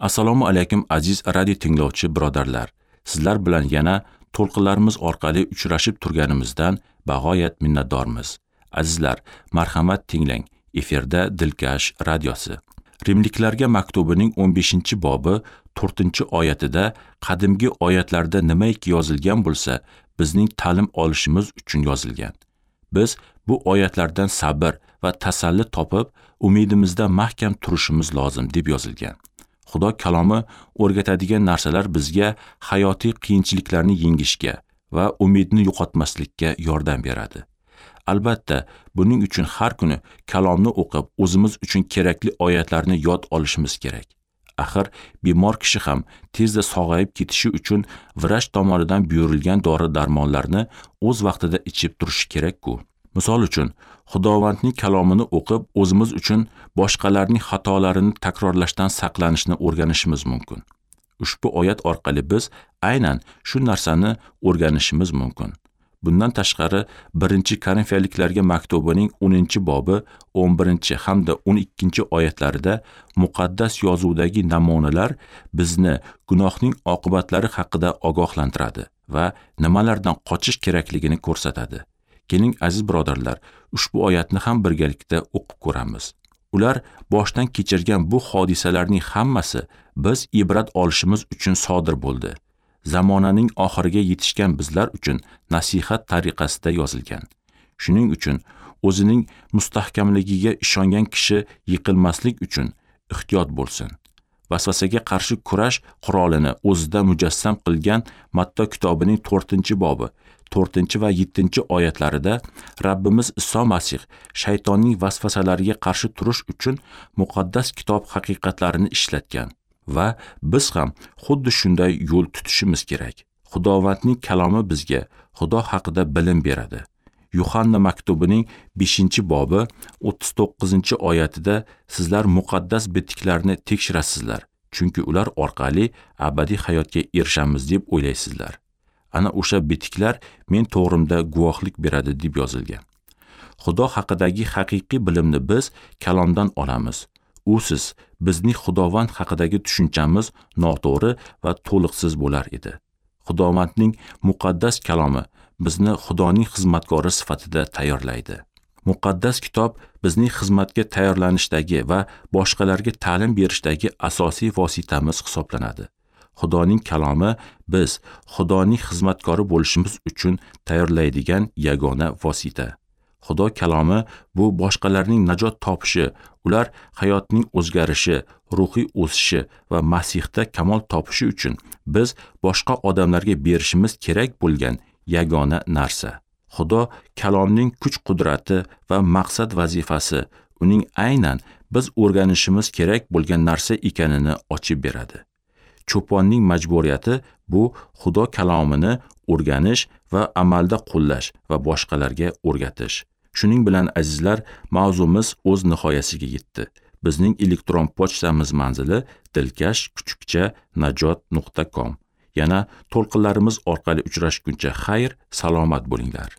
Assalomu alaykum aziz radio tinglovchi birodarlar. Sizlar bilan yana to'lqinlarimiz orqali uchrashib turganimizdan bag'oyat minnatdormiz. Azizlar, marhamat tinglang. Efirda Dilkash radiosi. Rimliklarga maktubining 15-bobi 4-oyatida qadimgi oyatlarda nimaiki yozilgan bo'lsa, bizning ta'lim olishimiz uchun yozilgan. Biz bu oyatlardan sabr va tasalli topib, umidimizda mahkam turishimiz lozim deb yozilgan. Xudo kalomi o'rgatadigan narsalar bizga hayotiy qiyinchiliklarni yengishga va umidni yo'qotmaslikka yordam beradi. Albatta, buning uchun har kuni kalomni o'qib, o'zimiz uchun kerakli oyatlarni yod olishimiz kerak. Axir bemor kishi ham tezda sog'ayib ketishi uchun vrach tomonidan buyurilgan dori-darmonlarni o'z vaqtida ichib turishi kerak-ku. Misol uchun, Xudovandning kalomini o'qib, o'zimiz uchun boshqalarning xatolarini takrorlashdan saqlanishni o'rganishimiz mumkin. Ushbu oyat orqali biz aynan shu narsani o'rganishimiz mumkin. Bundan tashqari, 1-Korinfiyaliklarga maktubining 10-bobi 11 hamda 12-oyatlarida muqaddas yozuvdagi namunalar bizni gunohning oqibatlari haqida ogohlantiradi va nimalardan qochish kerakligini ko'rsatadi. Keling aziz birodarlar, ushbu oyatni ham birgalikda o'qib ko'ramiz. Ular boshdan kechirgan bu hodisalarning hammasi biz ibrat olishimiz uchun sodir bo'ldi. Zamonaning oxiriga yetishgan bizlar uchun nasihat tariqasida yozilgan. Shuning uchun o'zining mustahkamligiga ishongan kishi yiqilmaslik uchun ehtiyot bo'lsin. Vasvasaga qarshi kurash qurolini o'zida mujassam qilgan Matto kitobining 4-bobi 4 va 7-oyatlarida Rabbimiz Iso Masih shaytonning vasvasalariga qarshi turish uchun muqaddas kitob haqiqatlarini ishlatgan va biz ham xuddi shunday yo'l tutishimiz kerak. Xudovandning kalomi bizga Xudo haqida bilim beradi. Yuhanna maktubining 5-bobi 39-oyatida sizlar muqaddas bitiklarni tekshirasizlar, chunki ular orqali abadiy hayotga erishamiz deb o'ylaysizlar. Ana o'sha bitiklar men to'g'rimda guvohlik beradi deb yozilgan. Xudo haqidagi haqiqiy bilimni biz kalomdan olamiz. Usiz bizning Xudovand haqidagi tushunchamiz noto'g'ri va to'liqsiz bo'lar edi. Xudovandning muqaddas kalomi bizni Xudoning xizmatkori sifatida tayyorlaydi. Muqaddas kitob bizning xizmatga tayyorlanishdagi va boshqalarga ta'lim berishdagi asosiy vositamiz hisoblanadi. Xudoning kalomi biz Xudoning xizmatkori bo'lishimiz uchun tayyorlaydigan yagona vosita. Xudo kalomi bu boshqalarning najot topishi, ular hayotning o'zgarishi, ruhiy o'sishi va Masihda kamol topishi uchun biz boshqa odamlarga berishimiz kerak bo'lgan yagona narsa. Xudo kalomning kuch-qudrati va maqsad vazifasi uning aynan biz o'rganishimiz kerak bo'lgan narsa ekanini ochib beradi. Cho'ponning majburiyati bu Xudo kalomini o'rganish va amalda qo'llash va boshqalarga o'rgatish. Shuning bilan azizlar, mavzumiz o'z nihoyasiga yetdi. Bizning elektron pochtamiz manzili dilkash@najot.com. Yana to'lqinlarimiz orqali uchrashguncha xayr, salomat bo'linglar.